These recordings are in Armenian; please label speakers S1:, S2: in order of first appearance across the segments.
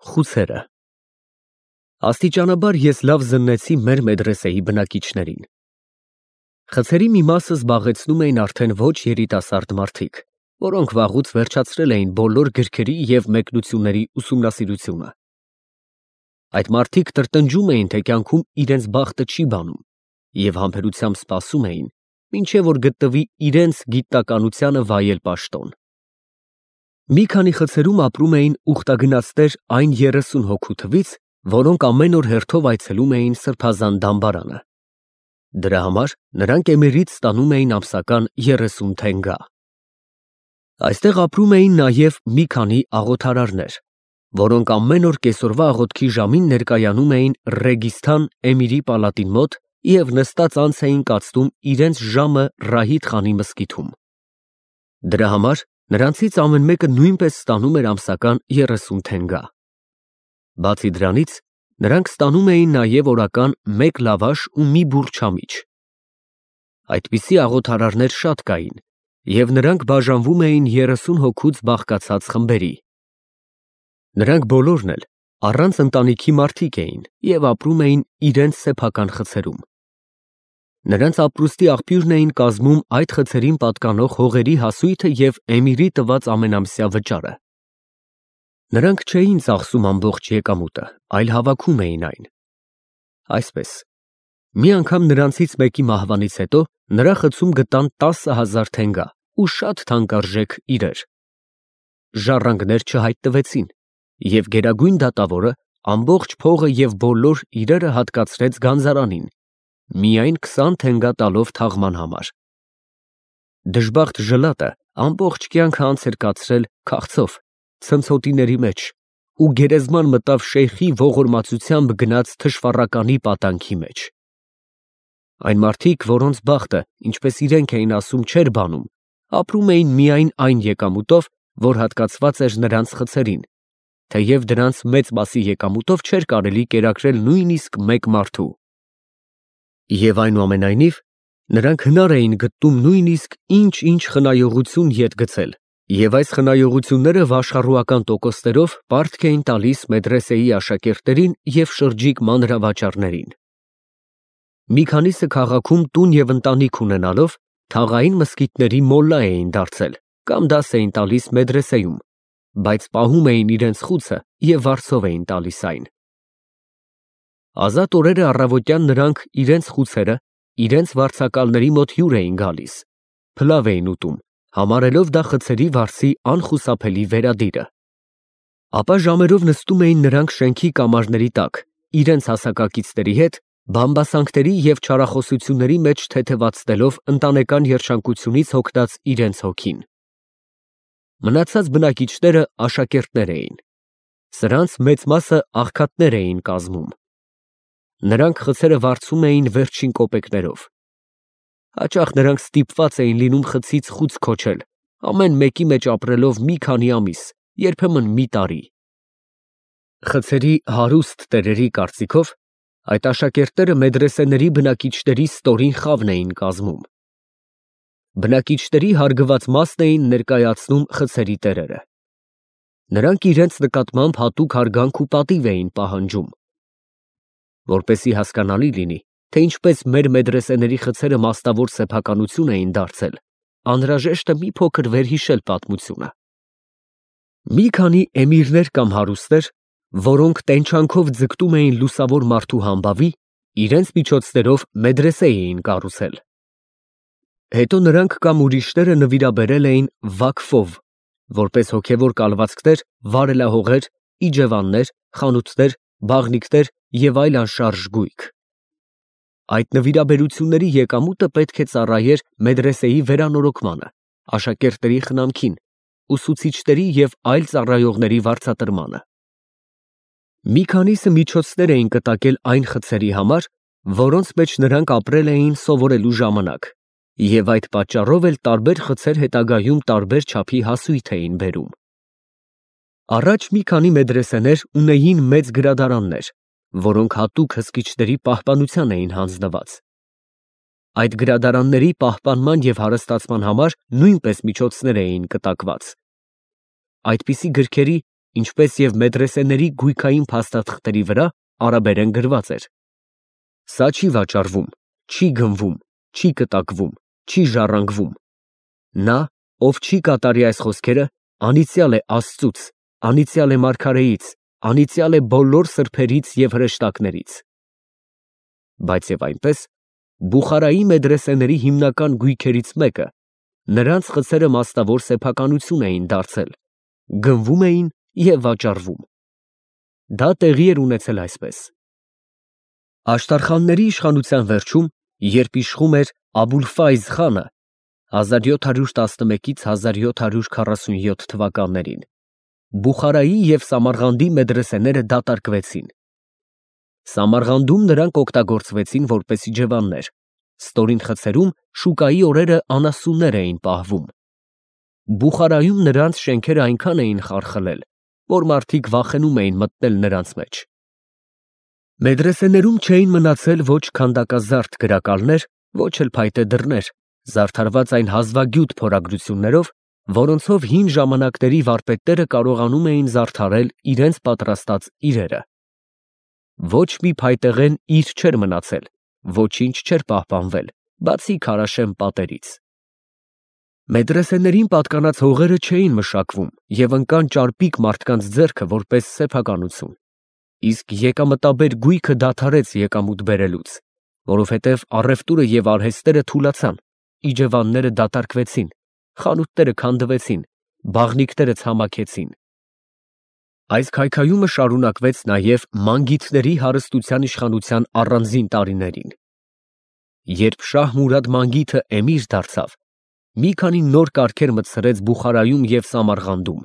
S1: Խուցերը Աստիճանաբար ես լավ զննեցի մեր մեդրեսեի բնակիչներին։ Խցերի մի մասը զբաղեցնում էին արդեն ոչ երիտասարդ մարդիկ, որոնք վաղուց վերջացրել էին բոլոր գրքերի և մեկնությունների ուսումնասիրությունը։ Այդ մարդիկ տրտնջում էին, թե կյանքում իրենց բախտը չի բանում, և համբերությամբ սպասում էին, մինչև որ գտնվի իրենց գիտնականությանը վայել պաշտոն։ Մի քանի խցերում ապրում էին ուխտագնացներ այն 30 հոգու թվից, որոնք ամեն օր հերթով այցելում էին սրբազան դամբարանը։ Դրա համար նրանք Էմիրից ստանում էին ամսական 30 թենգա։ Այստեղ ապրում էին նաև մի քանի աղոթարարներ, որոնք ամեն օր կեսօրվա աղոթքի ժամին ներկայանում էին Ռեգիստան Էմիրի պալատին մոտ և նստած անց էին կացնում իրենց ժամը Ռահիդ խանի մզկիթում։ Դրա համար նրանցից ամեն մեկը նույնպես ստանում էր ամսական 30 թենգա։ Բացի դրանից, նրանք ստանում էին նաև օրական 1 լավաշ ու մի բուռ չամիչ։ Այդպիսի աղոթարարներ շատ կային, և նրանք բաժանվում էին 30 հոգուց բաղկացած խմբերի։ Նրանք բոլորն էլ առանց ընտանիքի մարդիկ էին և ապրում էին իրենց սեփական խցերում։ Նրանց ապրուստի աղբյուրն էին կազմում այդ խցերին պատկանող հողերի հասույթը և Էմիրի տված ամենամսյա վճարը։ Նրանք չէին ծախսում ամբողջ եկամուտը, այլ հավաքում էին այն։ Այսպես, մի անգամ նրանցից մեկի մահվանից հետո նրա խցում գտան 10,000 թենգա ու շատ թանկարժեք իրեր։ Ժառանգներ չհայտնվեցին, և գերագույն դատավորը ամբողջ փողը և բոլոր իրերը հատկացրեց գանձարանին, միայն 20 թենգա տալով թաղման համար։ Դժբախտ ժլատը ամբողջ կյանքը անց էր կացրել քաղցով, ցնցոտիների մեջ ու գերեզման մտավ շեյխի ողորմածությամբ գնած թշվառականի պատանքի մեջ։ Այն մարդիկ, որոնց բախտը, ինչպես իրենք էին ասում, չէր բանում, ապրում էին միայն այն եկամուտով, որ հատկացված էր նրանց խցերին, թեև դրանց մեծ մասի եկամուտով չէր կարելի կերակրել նույնիսկ մեկ մարդու։ Եվ այնուամենայնիվ, նրանք հնար էին գտնում նույնիսկ ինչ-ինչ խնայողություն ետ գցել, և այս խնայողությունները վաշխառուական տոկոսներով պարտք էին տալիս մեդրեսեի աշակերտներին և շրջիկ մանրավաճառներին։ Մի քանիսը քաղաքում տուն և ընտանիք ունենալով, թաղային մզկիթների մոլլա էին դարձել կամ դաս էին տալիս մեդրեսեում, բայց պահում էին իրենց խուցը և վարձով էին տալիս այն։ Ազատ օրերը առավոտյան նրանք իրենց խուցերը իրենց վարձակալների մոտ հյուր էին գալիս, փլավ էին ուտում, համարելով դա խցերի վարձի անխուսափելի վերադիրը։ Ապա ժամերով նստում էին նրանք շենքի կամարների տակ, իրենց հասակակիցների հետ, բամբասանքների և չարախոսությունների մեջ թեթևացնելով ընտանեկան երջանկությունից հոգնած իրենց հոգին։ Մնացած բնակիչները աշակերտներ էին։ Սրանց մեծ մասը աղքատներ էին կազմում։ Նրանք խցերը վարձում էին վերջին կոպեկներով։ Հաճախ նրանք ստիպված էին լինում խցից խուց քոչել, ամեն մեկի մեջ ապրելով մի քանի ամիս, երբեմն մի տարի։ Խցերի հարուստ տերերի կարծիքով, այդ աշակերտները մեդրեսեների բնակիչների ստորին խավն էին կազմում։ Բնակիչների հարգված մասն էին ներկայացնում խցերի տերերը։ Նրանք իրենց նկատմամբ հատուկ հարգանք ու պատիվ էին պահանջում։ Որպեսզի հասկանալի լինի, թե ինչպես մեր մեդրեսեների խցերը մասնավոր սեփականություն էին դարձել, անհրաժեշտ է մի փոքր վերհիշել պատմությունը։ Մի քանի էմիրներ կամ հարուստներ, որոնք տենչանքով ձգտում էին լուսավոր մարդու համբավի, իրենց միջոցներով մեդրեսե էին կառուցել։ Հետո նրանք կամ ուրիշները նվիրաբերել էին վակֆով, որպես հոգևոր կալվածքներ, վարելահողեր, իջևաններ, խանութներ, բաղնիքներ և այլ անշարժ գույք։ Այդ նվիրաբերությունների եկամուտը պետք է ծառայեր մեդրեսեի վերանորոգմանը, աշակերտների խնամքին, ուսուցիչների և այլ ծառայողների վարձատրմանը։ Մի քանիսը միջոցներ էին կտակել այն խցերի համար, որոնց մեջ նրանք ապրել էին սովորելու ժամանակ, և այդ պատճառով էլ տարբեր խցեր հետագայում տարբեր չափի հասույթ էին բերում։ Առաջ մի քանի մեդրեսեներ ունեին մեծ գրադարաններ, որոնք հատուկ հսկիչների պահպանության էին հանձնված։ Այդ գրադարանների պահպանման և հարստացման համար նույնպես միջոցներ էին կտակված։ Այդպիսի գրքերի ինչպես և մեդրեսեների գույքային փաստաթղթերի վրա արաբերեն գրված էր. «Սա չի վաճառվում, չի գնվում, չի կտակվում, չի ժառանգվում»։ Նա, ով չի կատարի այս խոսքերը, անիծյալ է Աստծուց, անիծյալ է մարգարեից, անիծյալ է բոլոր սրբերից և հրեշտակներից։ Բայց և այնպես, Բուխարայի մեդրեսեների հիմնական գույքերից մեկը, նրանց խցերը մաստավոր սեփականություն էին դարձել, գնվում էին և վաճառվում։ Դա տեղի էր ունեցել այսպես. Աշտարխանների իշխանության վերջում, երբ իշխում էր Աբուլֆայզ խանը (1711-ից 1747 թվականներին), Բուխարայի և Սամարղանդի մեդրեսեները դատարկվեցին։ Սամարղանդում նրանք օգտագործվեցին որպես իջևաններ, ստորին խցերում շուկայի օրերը անասուններ էին պահվում։ Բուխարայում նրանց շենքերը այնքան էին խարխլել, որ մարդիկ վախենում էին մտնել նրանց մեջ։ Մեդրեսեներում չէին մնացել ոչ քանդակազարդ գրակալներ, ոչ էլ փայտե դռներ, զարդարված այն հազվագյուտ փորագրություններով, որոնցով հին ժամանակների վարպետները կարողանում էին զարդարել իրենց պատրաստած իրերը։ Ոչ մի փայտեղեն իր չէր մնացել, ոչինչ չէր պահպանվել, բացի քարաշեն պատերից։ Մեդրեսեներին պատկանած հողերը չէին մշակվում և ընկան ճարպիկ մարդկանց ձեռքը որպես սեփականություն, իսկ եկամտաբեր գույքը դադարեց եկամուտ բերելուց, որովհետև առևտուրը և արհեստները թուլացան, իջևանները դատարկվեցին, խանութները քանդվեցին, բաղնիքները ցամաքեցին։ Այս քայքայումը շարունակվեց նաև մանգիթների հարստության իշխանության առանձին տարիներին։ Երբ Շահ Մուրադ Մանգիթը էմիր դարձավ, մի քանի նոր կարգեր մտցրեց Բուխարայում և Սամարղանդում։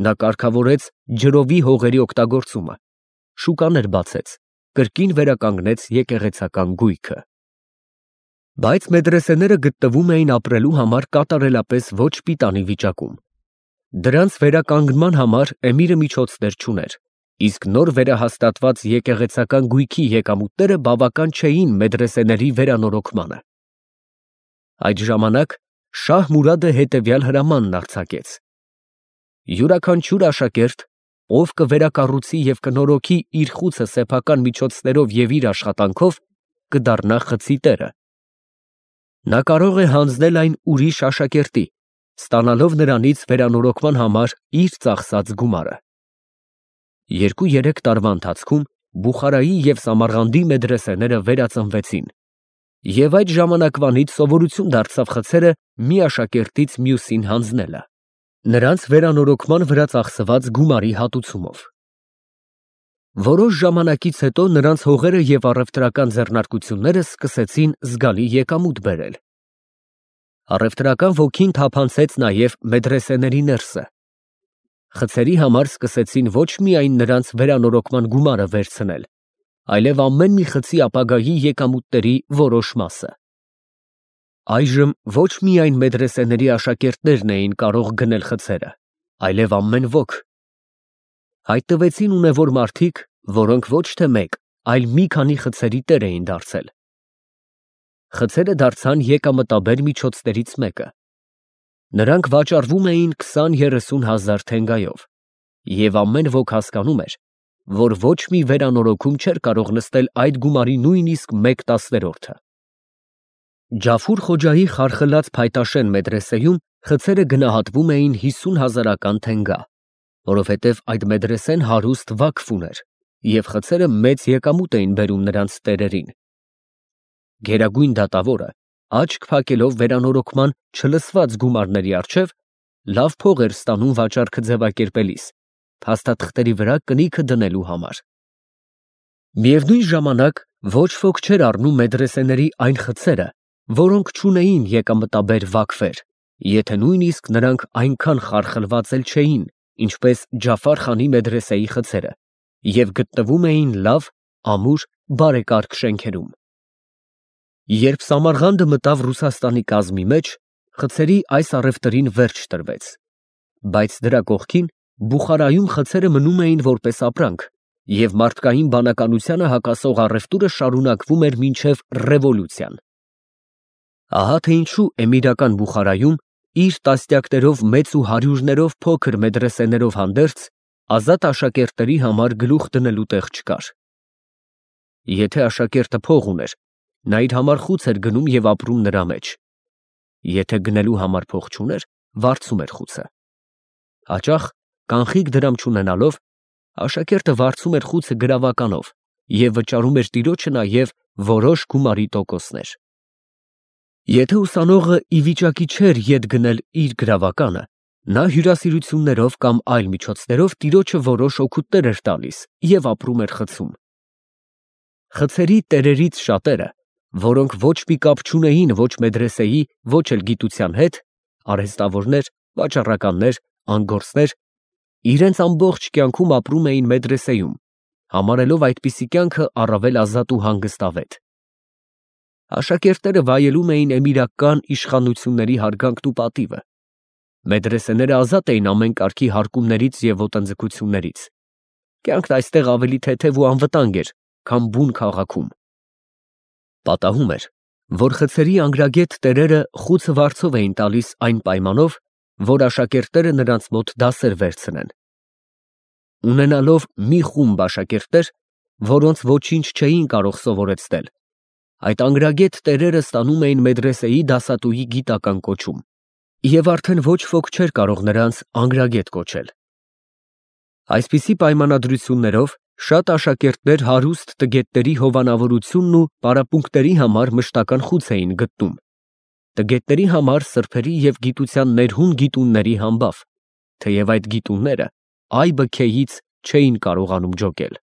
S1: Նա կարգավորեց ջրովի հողերի օգտագործումը, շուկաներ բացեց, կրկին վերականգնեց եկեղեցական գույքը։ Բայց մեդրեսեները գտնվում էին ապրելու համար կատարելապես ոչ պիտանի վիճակում։ Դրանց վերականգնման համար էմիրը միջոցներ չուներ, իսկ նոր վերահաստատված եկեղեցական գույքի եկամուտները բավական չէին մեդրեսեների վերանորոգմանը։ Այդ ժամանակ Շահ Մուրադը հետևյալ հրամանն արձակեց. յուրաքանչյուր աշակերտ, ով կվերակառուցի և կնորոգի իր խուցը սեփական միջոցներով և իր աշխատանքով, կդառնա խցի տերը։ Նա կարող է հանձնել այն ուրիշ աշակերտի, ստանալով նրանից վերանորոգման համար իր ծախսած գումարը։ 2-3 տարվա ընթացքում Բուխարայի և Սամարղանդի մեդրեսեները վերածնվեցին, և այդ ժամանակվանից սովորություն դարձավ խցերը մի աշակերտից մյուսին հանձնելը, նրանց վերանորոգման վրա ծախսված գումարի հատուցումով։ Որոշ ժամանակից հետո նրանց հողերը և առևտրական ձեռնարկությունները սկսեցին զգալի եկամուտ բերել։ Առևտրական ոգին թափանցեց նաև մեդրեսեների ներսը։ Խցերի համար սկսեցին ոչ միայն նրանց վերանորոգման գումարը վերցնել, այլև ամեն մի խցի ապագայի եկամուտների որոշ մասը։ Այժմ ոչ միայն մեդրեսեների աշակերտներն էին կարող գնել խցերը, այլև ամեն ոք։ Հայտնվեցին ունևոր մարդիկ, որոնք ոչ թե մեկ, այլ մի քանի խցերի տեր էին դարձել։ Խցերը դարձան եկամտաբեր միջոցներից մեկը։ Նրանք վաճառվում էին 20-30 հազար թենգայով, և ամեն ոք հասկանում էր, որ ոչ մի վերանորոգում չէր կարող նստել այդ գումարի նույնիսկ 1/10-ը։ Ջաֆուր Խոջայի խարխլած փայտաշեն մեդրեսեում խցերը գնահատվում էին 50 հազարական թենգա, որովհետև այդ մեդրեսեն հարուստ վակֆ ուներ, և խցերը մեծ եկամուտ էին բերում նրանց տերերին։ Գերագույն դատավորը, աչք փակելով վերանորոգման չլսված գումարների առջև, լավ փող էր ստանում վաճառքը ձևակերպելիս, փաստաթղթերի վրա կնիքը դնելու համար։ Միևնույն ժամանակ ոչ ոք չէր առնում մեդրեսեների այն խցերը, որոնք չունեին եկամտաբեր վակֆեր, եթե նույնիսկ նրանք այնքան խարխլված էլ չէին, ինչպես Ջաֆար խանի մեդրեսեի խցերը, և գտնվում էին լավ, ամուր, բարեկարգ շենքերում։ Երբ Սամարղանդը մտավ Ռուսաստանի կազմի մեջ, խցերի այս առևտրին վերջ տրվեց, բայց դրա կողքին Բուխարայում խցերը մնում էին որպես ապրանք, և մարդկային բանականությանը հակասող առևտուրը շարունակվում էր մինչև ռևոլյուցիան։ Ահա թե ինչու էմիրական Բուխարայում իր տասնյակներով մեծ ու հարյուրներով փոքր մեդրեսեներով հանդերձ, ազատ աշակերտների համար գլուխ դնելու տեղ չկար։ Եթե աշակերտը փող ուներ, նա իր համար խուց էր գնում և ապրում նրա մեջ։ Եթե գնելու համար փող չուներ, վարձում էր խուցը։ Հաճախ, կանխիկ դրամ չունենալով, աշակերտը վարձում էր խուցը գրավականով և վճարում էր տիրոջը նաև որոշ գումարի տոկոսներ։ Եթե ուսանողը ի վիճակի չէր ետ գնել իր գրավականը, նա հյուրասիրություններով կամ այլ միջոցներով տիրոջը որոշ օգուտներ էր տալիս և ապրում էր խցում։ Խցերի տերերից շատերը, որոնք ոչ մի կապ չունեին ոչ մեդրեսեի, ոչ էլ գիտության հետ, արհեստավորներ, վաճառականներ, անգորսներ, իրենց ամբողջ կյանքում ապրում էին մեդրեսեում, համարելով այդպիսի կյանքը առավել ազատ ու հանգստավետ։ Աշակերտները վայելում էին էմիրական իշխանությունների հարգանքն ու պատիվը։ Մեդրեսեները ազատ էին ամեն կարգի հարկումներից և ոտնձգություններից։ Կյանքն այստեղ ավելի թեթև ու անվտանգ էր, քան բուն քաղաքում։ Պատահում էր, որ խցերի անգրագետ տերերը խուցը վարձով էին տալիս այն պայմանով, որ աշակերտները նրանց մոտ դասեր վերցնեն։ Ունենալով մի խումբ աշակերտներ, որոնց ոչինչ չէին կարող սովորեցնել, այդ անգրագետ տերերը ստանում էին մեդրեսեի դասատուի գիտական կոչում, և արդեն ոչ ոք չէր կարող նրանց անգրագետ կոչել։ Այսպիսի պայմանագրություններով շատ աշակերտներ հարուստ տգետների հովանավորությունն ու պարապմունքների համար մշտական խուց էին գտնում, տգետների համար սրբերի և գիտության ներհուն գիտունների համբավ, թեև այդ գիտունները այ բքեից չէին կարողանում ջոկել։